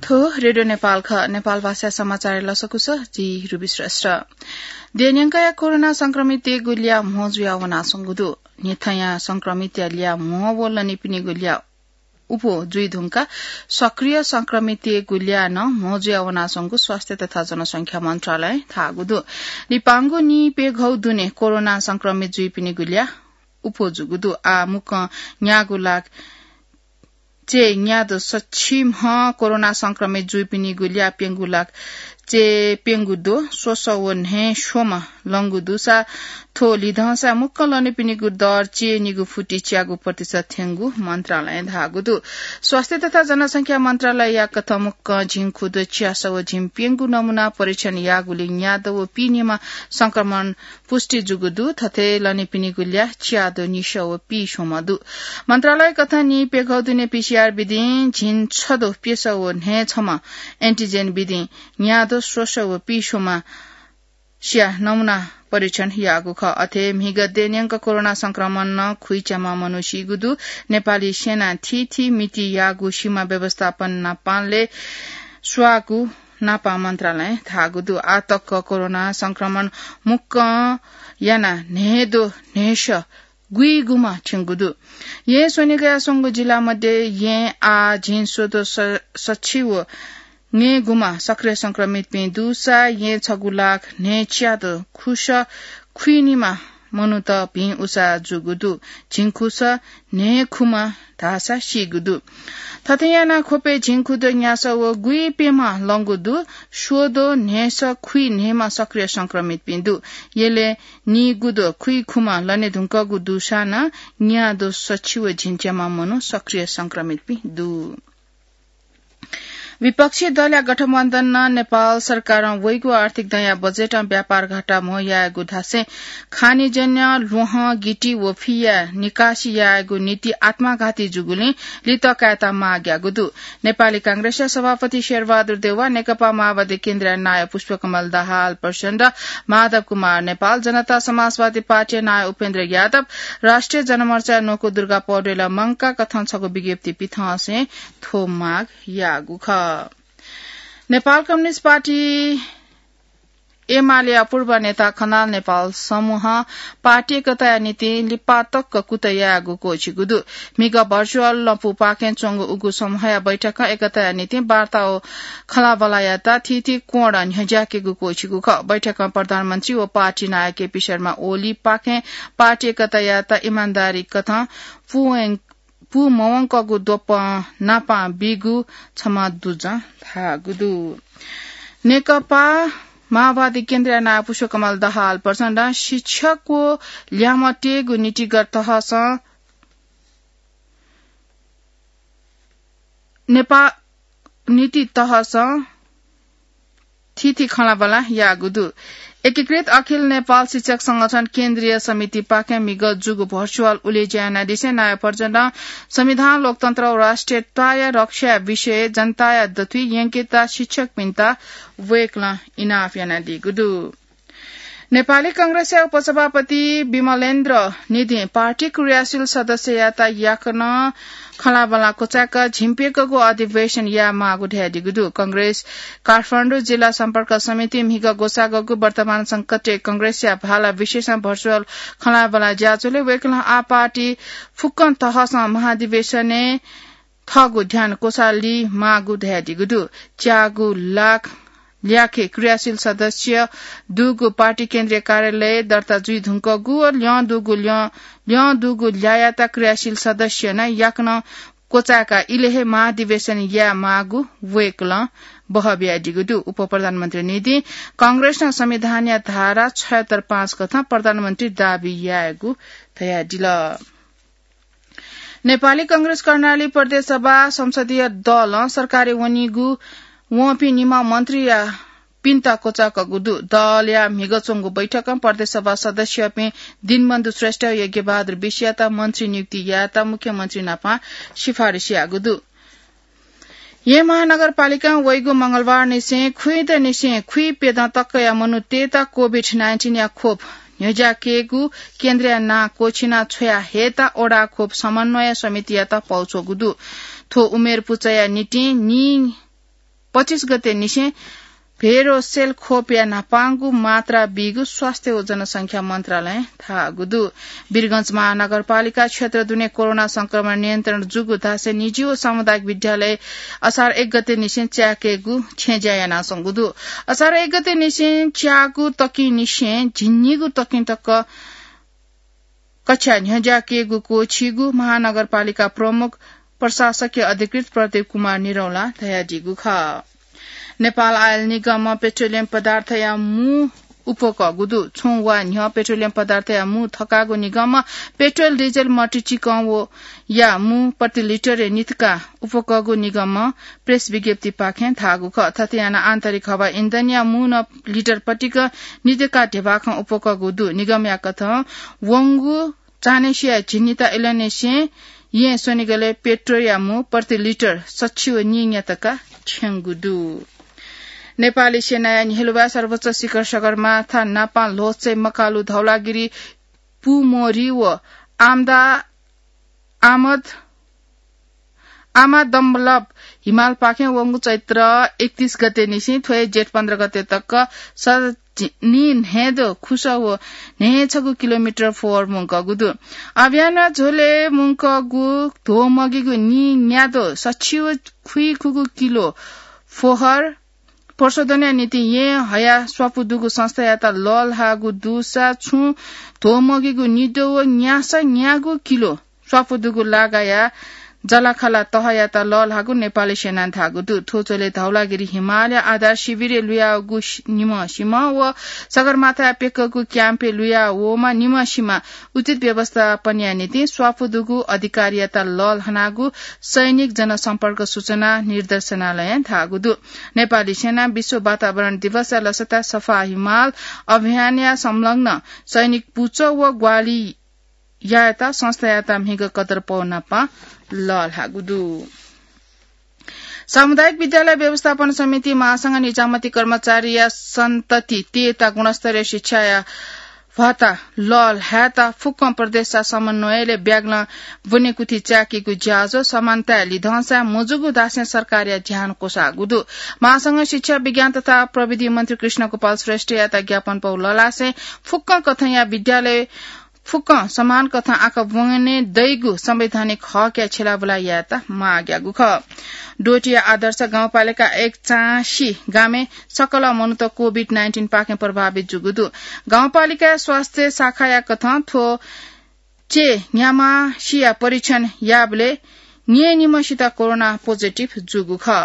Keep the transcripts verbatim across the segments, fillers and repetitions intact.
थ्व रेडियो नेपाल खः। नेपाल भाषा समाचार लसकुस, जि रुबी श्रेष्ठ। देय्‌न्यंकया कोरोना संक्रमितय्‌गु ल्याः म्हो जुया वनाच्वंगु दु। न्हिथंया संक्रमितया ल्याः म्हो व लनीपिनिगु ल्याः उपु जुइ धुंकाः सक्रिय संक्रमितय्‌गु ल्याः नं म्हो जुया वनाच्वंगु स्वास्थ्य तथा जनसंख्या मन्त्रालयं धाःगु दु। लिपांगु नीप्यघौ दुने कोरोना संक्रमित जुइपिनिगु ल्याः उपु जूगु दु। आः मुक्कं न्यागू लाख चय् न्यादँ सछि म्ह कोरोना संक्रमित जुइपिनिगु ल्याः प्यंगू लाख चय् प्यंगू दँ स्वसः व न्हय् स्वम्ह लंगु दुसा थ्व लिधंसा मुक्कं लनीपिनिगु दर चय् निगू फुति च्यागू प्रतिशत थ्यंगु मन्त्रालयं धाःगु दु। स्वास्थ्य तथा जनसंख्या मन्त्रालयया कथं मुक्कं झिंखुदँ च्यासः व झिंप्यंगू नमूना परीक्षण याःगुलिं न्यादँ व पीन्हय्म्ह संक्रमण पुष्टि जूगु दु। थथे लनीपिनिगु ल्याः च्यादँ निसः व पीस्वम्ह दु। मन्त्रालय कथं नीप्यघौ दुने पीसीआर विधिं झिंछदँ प्यसः व न्हय् छम्ह एन्टिजेन विधिं न्यादँ स्वसः व पीस्वम्ह स्या नमूना परीक्षण याःगु खः। अथे म्हिगः देय्‌न्यंक कोरोना संक्रमणं खुइच्याम्ह मनू सीगु दु। नेपाली सेनां थीथी मिति याःगु सीमा व्यवस्थापन नापलाये स्वाःगु नापं मन्त्रालयं धाःगु दु। आः तक कोरोना संक्रमण मुक्कं यानाः न्हय्दँ न्हय्सः गुइगुम्ह थ्यंगु दु। येँ स्वनिगया स्वंगू जिल्ला मध्ये येँ आः झिंस्वदँ स-, सछि व न्हय्गुम्ह सक्रिय संक्रमितपिं दुसा येँ छगू लाख न्हय्च्यादँ खुसः खुइनिम्ह मनूत भिं उसाः जूगु दु। झिंखुसः न्हय्खुम्ह धाःसा सीगु दु। थथे यानाः ख्वपय् झिंखुदँ न्यासः व गुइप्यम्ह लंगु दु। स्वदँ न्हय्सः खुइन्हय्म्ह सक्रिय संक्रमितपिं दु। यलय् नीगुदँ खुइखुम्ह लने धुंकूगु दुसां नं न्यादँ सछि व झिंच्याम्ह मनू सक्रिय संक्रमितपिं दु। विपक्षी दलया गठबन्धनं नेपाल सरकारं वइगु आर्थिक दँया बजेटं व्यापार घाटा म्हो यायेगु धासें खानीजन्य ल्वहं, गिटी व फीया निकासी यायेगु नीति आत्मघाती जूगुलिं लित कायेत माग याःगु दु। नेपाली कांग्रेसया सभापति शेरबहादुर देउवा, नेकपा माओवादी केन्द्रया नायः पुष्पकमल दाहाल प्रचण्ड, माधव कुमार नेपाल, जनता समाजवादी पार्टीया नायः उपेन्द्र यादव, राष्ट्रिय जनमोर्चाया न्वकू दुर्गा पौडेलं मंकाः कथं छगू विज्ञप्ति पिथंसें थ्व माग याःगु खः। नेपाल कम्युनिस्ट पार्टी एमालेया पूर्व नेता खनाल नेपाल समूहं पार्टी एकताया निंतिं लिपा तक कुतः यायेगु क्वःछिगु दु। म्हिगः भर्चुअल लँपुपाखें च्वंगु उगु समूहया बैठकं एकताया निंतिं वार्ता व खँल्हाबल्हा यायेत थीथी कोणं न्ह्यज्याकेगु क्वःछिगु खः। बैठकं प्रधानमन्त्री व पार्टी नायः केपी शर्मा ओलीपाखें पार्टी एकता यायेत इमानदारी कथं पूवं-, पूमवंकःगु द्वपं नापं बीगु छम्ह दुजं धाःगु दु। नेकपा माओवादी केन्द्रया नायः पुष्पकमल दाहाल प्रचण्डं शिक्षक व ल्याय्म्ह तयेगु नीतिगत तहसं नेपा-, नीति तहसं थीथी खँल्हाबल्हा याःगु दु। एकीकृत अखिल नेपाल शिक्षक संगठन केन्द्रीय समितिपाखें म्हिगः जूगु भर्चुअल उलेज्या यानादिसें नायः प्रचण्डं संविधान, लोकतन्त्र व राष्ट्रियताया रक्षाया विषयय् जनताया दथुइ यंकेत शिक्षकपिन्त वय्कलं इनाप यानादीगु दु। नेपाली कांग्रेसया उपसभापति विमलेन्द्र निधिं पार्टी क्रियाशील सदस्ययात याकनं खँल्हाबल्हा क्वचाय्क झिंप्यघौगु अधिवेशन यायेमाःगु धयादीगु दु। कांग्रेस काठमाडौं जिल्ला सम्पर्क समितिं म्हिगः ग्वसाःगु वर्तमान संकटय् कांग्रेसया भाला विषयसं भर्चुअल खँल्हाबल्हा ज्याझ्वलय् वय्कलं आः पार्टी फुक्कं तहसं महाधिवेशनय् थःगु ध्यान क्वसाली माःगु धयादीगु दु। च्यागू लाख ल्याखय् क्रियाशील सदस्य दुगु पार्टी केन्द्रीय कार्यालय दर्ता जुइ धुंकूगु व ल्यं दुगु ल्यं, ल्यं दुगु ल्यायात क्रियाशील सदस्य नं याकनं क्वचाय्काः इलय् हे महाधिवेशन याये माःगु वय्कलं बहः बियादीगु दु। उपप्रधानमन्त्री निधिं कांग्रेसं संविधानया धारा छयत्तर पाँच कथं प्रधानमन्त्री दाबी यायेगु धयादिल। नेपाली कांग्रेस कर्णाली प्रदेश सभा संसदीय दलं सरकारय् वनीगु वंपिं निम्ह मन्त्रीयापिन्त क्वचाय्कूगु दु। दलया म्हिगः च्वंगु बैठकं प्रदेश सभा सदस्यपिं दिनबन्धु श्रेष्ठ, यज्ञबहादुर विषयात मन्त्री नियुक्ति यायेत मुख्यमन्त्री नाप सिफारिस याःगु दु। येँ महानगरपालिकां वइगु मंगलबारनिसें खुइदँनिसें खुइप्यदँ तकया मनूतय्त कोभिड नाइन्टिनया खोप न्ह्यज्याकेगु केन्द्रया नां क्वःछिना छ्वया हयेत वडा खोप समन्वय समितियात पौ च्वःगु दु। थ्व उमेर पुचःया निंतिं नि पच्चिस गते निसें भेरोसेल खोपया न्हापांगु मात्रा बीगु स्वास्थ्य व जनसंख्या मन्त्रालयं धाःगु दु। वीरगंज महानगरपालिका क्षेत्र दुने कोरोना संक्रमण नियन्त्रण जूगु धासें निजी व सामुदायिक विद्यालय असार एक गते निसें च्याकेगु छेँज्या यानाच्वंगु दु। असार एक गते निसें च्याःगु तकिं निसें झिंनिगू तकिं तक कक्षा न्ह्यज्याकेगु क्वःछीगु महानगरपालिका प्रमुख प्रशासकीय अधिकृत प्रदीप कुमार निरौला धयादीगु खः। नेपाल आयल निगमं पेट्रोलियम पदार्थया मू उपकःगु दु। छुं वा न्ह्यः पेट्रोलियम पदार्थया मू थकाःगु निगमं पेट्रोल, डिजेल, मट्टी चिकं व या मू प्रति लिटरय् नितका उपकःगु निगमं प्रेस विज्ञप्तिपाखें धाःगु खः। थथे यानाः आन्तरिक हवा इन्धनया मू नं लिटर पतिक नितका ध्यबाखं उपकःगु दु। निगमया कथं वंगु चान्हय्सिया झिंनिता इलंनिसें येँ स्वनिगलय् पेट्रोलया मू प्रति लिटर सछि व नीन्यातका छ्यंगु दु। नेपाली सेनाया न्ह्यलुवाय् सर्वोच्च शिखर सगरमाथा नापं ल्होच्चय् मकालु धौलागिरी, पुमोरी व आमदा आमद आमादम्बलब हिमालपाखें वंगु चैत्र एकतीस गते निसें थ्व हे जेठ पन्ध्र गते तक सनि न्हय्दो खुसः व न्हय्छगू किलोमिटर फोहर मुंकःगु दु। अभियानया झ्वलय् मुंकःगु ध्वमगिगु नीन्यादो सछि व खुइखुगू किलो फोहर प्रशोधनया निंतिं येँ हयाः स्वापू दुगु संस्थायात लःल्हाःगु दुसा छुं ध्वमगिगु निद्वः व न्यासः न्यागू किलो स्वापू दुगु लागाया जलाखाला तहयात लःल्हाःगु नेपाली सेनां धाःगु दु। थ्व झ्वलय् धौलागिरी हिमालया आधार शिविरय् लुयाःगु सि-, निम्ह सिम्ह व सगरमाथाया प्यक्कःगु क्याम्पय् लुया वःम्ह निम्ह सिम्ह उचित व्यवस्थापनया निंतिं स्वापू दुगु अधिकारीयात लःल्हानागु सैनिक जनसम्पर्क सूचना निर्देशनालयं धाःगु दु। नेपाली सेनां विश्व वातावरण दिवसया लसताय् सफा हिमाल अभियानया संलग्न सैनिक पुचः व ग्वालियायात संस्थायात म्हिगः कदरपौ नापं लःल्हाःगु दु। सामुदायिक विद्यालय व्यवस्थापन समिति महासंघ निजामती कर्मचारीया सन्तति तयेत गुणस्तरीय शिक्षाया भत्ता लःल्हायेत फुक्कं प्रदेशया समन्वयलय् ब्यागलं ब्वनेकुथि च्याकीगु ज्याझ्वः समानताया लिधंसाय् मजूगु धासें सरकारया ध्यान क्वसाःगु दु। महासंघ शिक्षा, विज्ञान तथा प्रविधि मन्त्री कृष्ण गोपाल श्रेष्ठयात ज्ञापनपौ लःल्हासें फुक्कं कथंया विद्यालय फुक्कं समान कथं आखः ब्वने दइगु संवैधानिक हकया छ्यलाबुला यायेत माग याःगु खः। डोटीया आदर्श गाउँपालिका एकचासी गामय् सकल मनूत कोभिड नाइन्टिन पाखें प्रभावित जूगु दु। गाउँपालिकाया स्वास्थ्य शाखाया कथं थ्व चय् न्ह्याम्हसिया परीक्षण याःबलय् न्यय्निम्हसित कोरोना पोजिटिभ जूगु खः।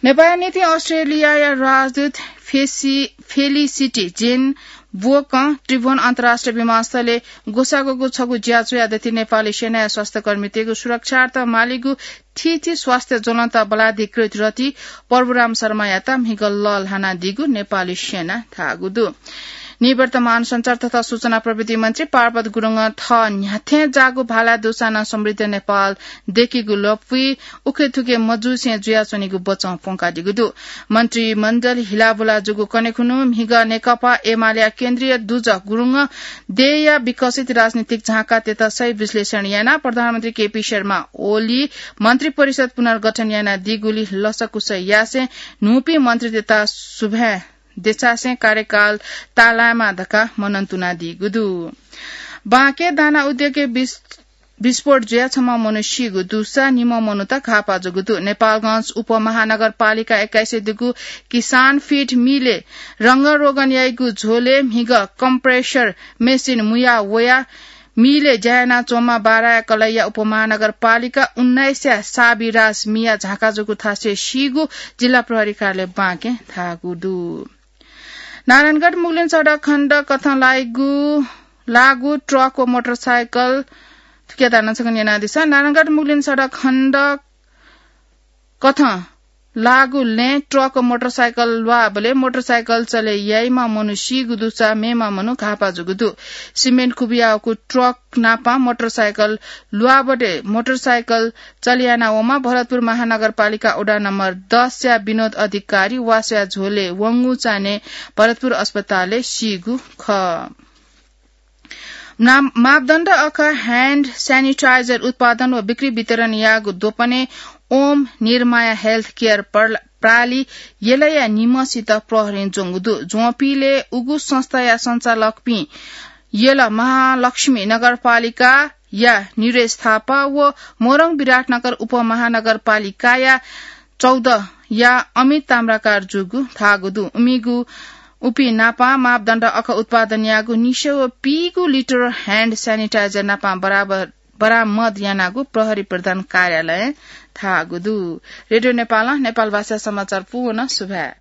नेपाःया निंतिं अस्ट्रेलियाया राजदूत फेसि-, फेलिसिटी जेन ब्वकं त्रिभुवन अन्तर्राष्ट्रिय विमानस्थलय् ग्वसाःगु छगू ज्याझ्वःया दथुइ नेपाली सेनाया स्वास्थ्यकर्मीतय्गु सुरक्षार्थ मालीगु थीथी स्वास्थ्य ज्वलंत बलाधिकृत रथी प्रभुराम शर्मायात म्हिगः लःल्हानादीगु नेपाली सेनां धाःगु दु। निवर्तमान सञ्चार तथा सूचना प्रविधि मन्त्री पार्वत गुरुङं थः न्ह्याथें जाःगु भालाय् दुसां नं समृद्ध नेपाल दय्केगु लँपुइ उखेथुखे मजूसें जुयाच्वनीगु बचं प्वंकादीगु दु। मन्त्रीमण्डल हिलाबुला जूगु कन्हय् खुन्हु म्हिगः नेकपा एमालेया केन्द्रीय दुजः गुरुङं देय्या विकसित राजनीतिक झाँकातय्त सही विश्लेषण यानाः प्रधानमन्त्री केपी शर्मा ओली मन्त्रिपरिषद पुनर्गठन यानादीगुलिइ लसकुस यासें न्हूपिं मन्त्रीतय्त सुभाय् देछासें कार्यकाल ताःलायेमा धकाः मनंतुनादीगु दु। बाँके दाना उद्योगय् विस-, विस्फोट जुयाः छम्ह मनू सीगु दुसा निम्ह मनूत घाःपाः जूगु दु। नेपालगंज उपमहानगरपालिका एक्काइसय् दुगु किसान फिड मिलय् रंगरोगन याइगु झ्वलय् म्हिगः कम्प्रेसर मेसिन मुया वयाः मिलय् ज्या यानाच्वंम्ह बाराया कलैया उपमहानगरपालिका उन्नाइसया साबिराज मिया झाँका जूगु थासय् सीगु जिल्ला प्रहरी कार्यालय बाँकें धाःगु दु। नारायणगढ मुगलिन सडक खण्ड कथं लाइगु, लागु ट्रक व मोटरसाइकल थुकिया दाना छकन यानादिसँ। नारायणगढ मुगलिन सडक खण्ड कथं लागु लँय् ट्रक व मोटरसाइकल ल्वाःबलय् मोटरसाइकल चले याइम्ह मनू सीगु दुसा मेम्ह मनू घाःपाः जूगु दु। सिमेन्ट खुबियाःगु ट्रक नापं मोटरसाइकल ल्वाःबलय् मोटरसाइकल चले याना वःम्ह भरतपुर महानगरपालिका वडा नम्बर दसया विनोद अधिकारी वासया झ्वलय् वंगु चान्हय् भरतपुर अस्पतालय् सीगु खः। नाम-, मापदण्ड अखः ह्यान्ड स्यानिटाइजर उत्पादन व बिक्री वितरण याःगु द्वपनय् ओम निर्माया हेल्थ केयर प्रणाली यलया निम्हसित प्रहरीं ज्वंगु दु। ज्वंपिले उगु संस्थाया सञ्चालकपिं यल महालक्ष्मी नगरपालिकाया निरेश थापा व मोरङ विराटनगर उपमहानगरपालिकाया चौध या अमित ताम्राकार जूगु धाःगु दु। उमिगु उपि नापा मापदण्ड अख उत्पादन याःगु निस्यव पीगु लिटर ह्यान्ड स्यानिटाइजर नापा बराबर बरामद यानागु प्रहरी प्रधान कार्यालयं धाःगु दु। रेडियो नेपालं नेपाल भाषा समाचार पूवन सुभाय्।